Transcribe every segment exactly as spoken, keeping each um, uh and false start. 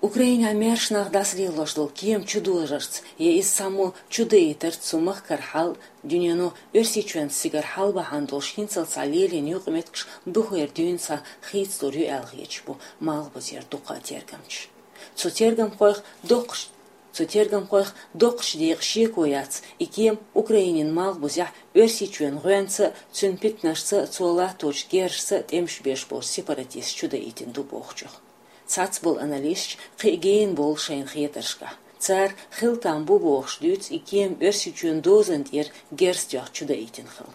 Украинехь маьрша нах дӀасалелош долу кема чудожарца я иза цхьаммо чудаийтарца цу махкара хьал, дуьнено Оьрсийчоьнца цигара хьал бахьана долуш хӀинццалц лелийна юкъаметтигаш дукха дуьйна схьахийцалур ю аьлла хеташ бу Малхбузера дуккха а тергамчаш. Цу тергамхойх доккхуш, цу тергамхойх доккхачу декъе шеко яц, и кема Украинин малхбузехь Оьрсийчоьнан гӀоьнца а, цуьнан питанашца а, цо латточу герзашца а тӀемаш беш болчу сепаратисташа чудаийтина ду бохучух. Цхьацца болу аналисташ кхин а гена болу шайна хетаршкахь. Цара хила там бу бохуш дуьйцу и кема Оьрсийчоьнан дозанна тӀера герз тоьхна чудаийтина хила.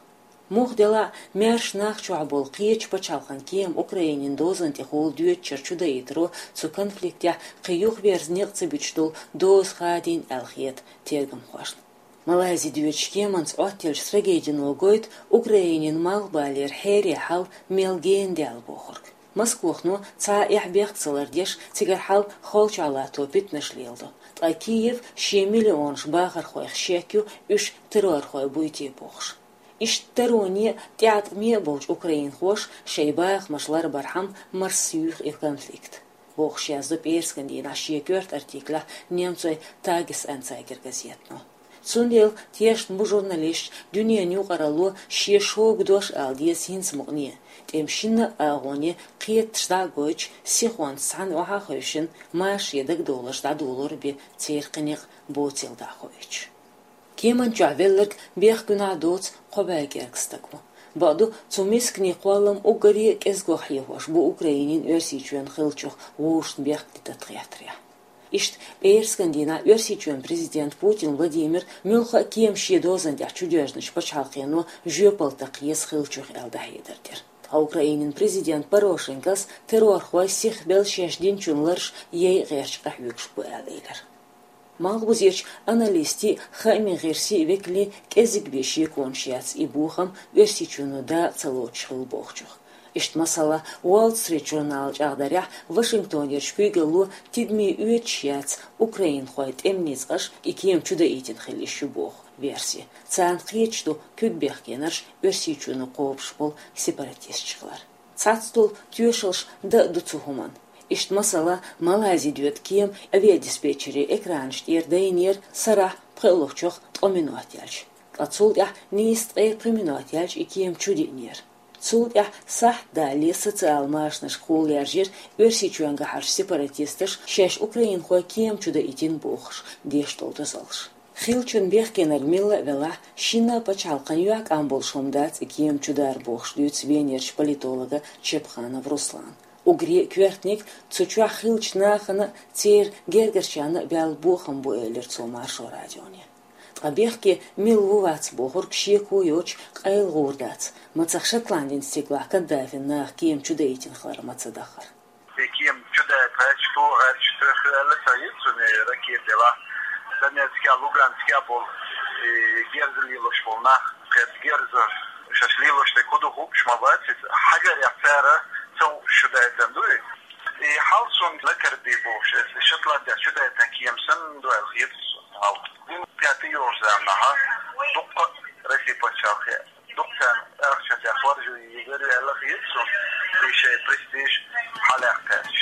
Муха делахь а, маьрша нах чохь болу кхечу пачхьалкхан кема Украинин дозанна тӀехула доьдучуьра чудаийтаро цу конфликтехь кхин юхаверза некъ ца буьтуш долу доза хадийна аьлла хета тергамхошна. Малайзи доьдучу кеманца Ӏоттаеллачу трагедино гойту Украинин малхбалера хьерийн хьал мел гена даьлла бохург. Москвахо цхьа а эхь-бехк ца лардеш, цигара хьал холчохь латто питанаш леладо. Ткъа Киев шен миллионаш бахархойх шек ю, уьш террорхой буй те бохуш. Иштта тароне а, тӀеӀаткъаме а болчу украинхоша шайн бахамаш ларбархьама марсаюьйху и конфликт, бохуш яздо пӀераскан дийнахь шен коьрта артиклехь немцойн Тагес-Анцайгер газетано. Цундела тешна бу журналисташ дуьненан юкъаралло шен шога дош ала деза хӀинца мукъане, тӀеман шинна а агӀоне кхеташ дӀа а гойтуш, сихонца цхьаьна охьа а хевшина, маша шен дагадовларш дӀадолор бен церан кхин некъ боцийла дӀа а хоуьйтуш. Кеман чохь велларг бехкуьнахь доцу кхо бӀе кӀирг стаг ву. Бакъду, цу мисканийн кхоллам уггаре а кӀезгох хьехош бу Украинин Оьрсийчоьнан хиллачух вовшашна бехк дитарх хеттарехь. Иштта пӀераскан дийнахь Оьрсийчоьнан президента Путин Владимира муьлхха а кема шен дозанна тӀехь чудоьжначу пачхьалкхено жоьпалла такха еза хиллачух аьлла дӀахьедар дира. Ткъа Украинин президента Порошенкос террорхой сихбелла шаьш динчун лараш яйа гӀерташ къахьоьгуш бу аьлла элира. Малхбузерчу аналистийн а, хаамийн гӀирсийн а векалийн кӀеззиг бен шеконаш яц и бохам Оьрсийчоьно дакъа ца лоцуш хилла бохучух. Иштта, масала, Wall Street журнала чӀагӀдарехь, Вашингтонерчу куьйгалло тидаме оьцуш яц украинхойн тӀеман ницкъаш и кема чудаийтина хилла йиш ю боху верси. Царна кхеташ ду куьг бехкенарш Оьрсийчоьно кхобуш болу сепаратисташ хилар. Цхьацца долу тоьшаллаш дан а ду цу хӀуманна. Иштта, масала, Малайзи доьду кема авиадиспетчерийн экранаш тӀера дайнера сарахь пхоьалгӀачух ткъа минот яьлча. Ткъа цул тӀаьхьа нийсса ткъе пхи минот яьлча и кема чудиънера. Цул тӀаьхьа сахьт далале социал машанашкахула лаьржира Оьрсийчоьнгахьарчу сепаратисташа шаьш украинхойн кема чудаийтина бохуш деш долу дозаллаш. Хиллачун бехкенарг милла а велахь, шинна а пачхьалкхана юьхькӀам болуш хӀума дац и кема чудар бохуш дуьйцу Венерчу политолога Чепханов Руслана. Уггаре а коьртаниг цу чохь хиллачу нахана а, церан гергарчарна а баьлла бохам бу, элира цо Маршо радионе. Ткъа бехке милла ву-вац бохург шеко йоцуш къайла гӀур дац, мацах Шотландин стигалахь Каддафин наха кема чудаийтина хилар ма ца дахара. И кема чудаьлла гӀерташ, тӀе гӀерташ тоьхна аьлла ца йира цунна, ракета делахь. Донецке, Луганске болу и герз лелош болу нах, кхетта герз шаьш лелош дерг хӀун ду хууш ма бац иза. Хьагарехь цара ца хууш чудаийтина ду и. И хьал суна лакарбий бохуш, иза Шотландехь чудаийтина кема санна ду аьлла хета суна хьал. Вуьнан пхьаьтта йолчу заманахь дуккха а Росси пачхьалкхе дукха царна ахча тӀехь хоржу йигар аьлла хета суна, и шайн престиж хьалаяккха гӀерташ.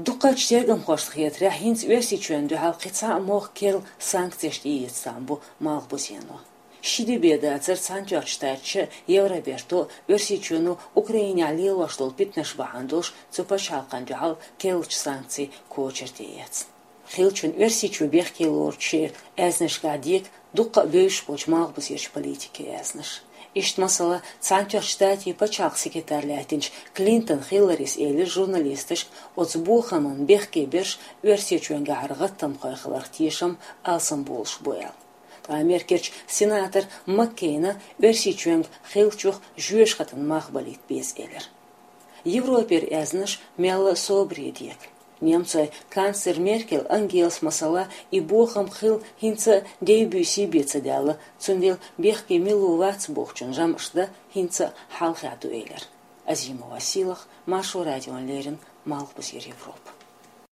Дукхачу тергамхошна хетарехь, хӀинца Оьрсийчоьнна дуьхьал кхин цхьа а мохк керла санкцеш тӀеэца там бу Малхбузено. Ши де бен дацара Цхьаьнатоьхначу Штаташа а, Евроберто а Оьрсийчоьно Украинехь лелош долу питанаш бахьана долуш цу пачхьалкхана дуьхьал керлачу санкцийн кочара тӀеэцна. Хиллачун Оьрсийчу бехке лоручу шеран аьзнашкахь дека дуккха а бевзаш болчу Малхбузерчу политикийн аьзнаш. Иштта, масала, Цхьаьнатоьхначу Штатийн пачхьалкхан секретарь лаьттинчу Клинтон Хилларис элира журналисташка, оцу бохаман бехке берш Оьрсийчоьнгахьара гӀаттамхой хиларх тешам алсам болуш бу аьлла. Ткъа Америкерчу сенатор Маккейна Оьрсийчоьнга хиллачух жоьжахатин мах балийта беза элира. Европера аьзнаш мелла а собаре дека. Немцойн канцлер Меркель Ангелас, масала, и бохам хилла хӀинца а дей-буьйсий бен ца даьлла, цундела бехке милла ву-вац бохучун жамӀаш дан хӀинца а хьалхе ду элира. Азимова Сийлаха, Маршо радиона леррина, Малхбузера Европа.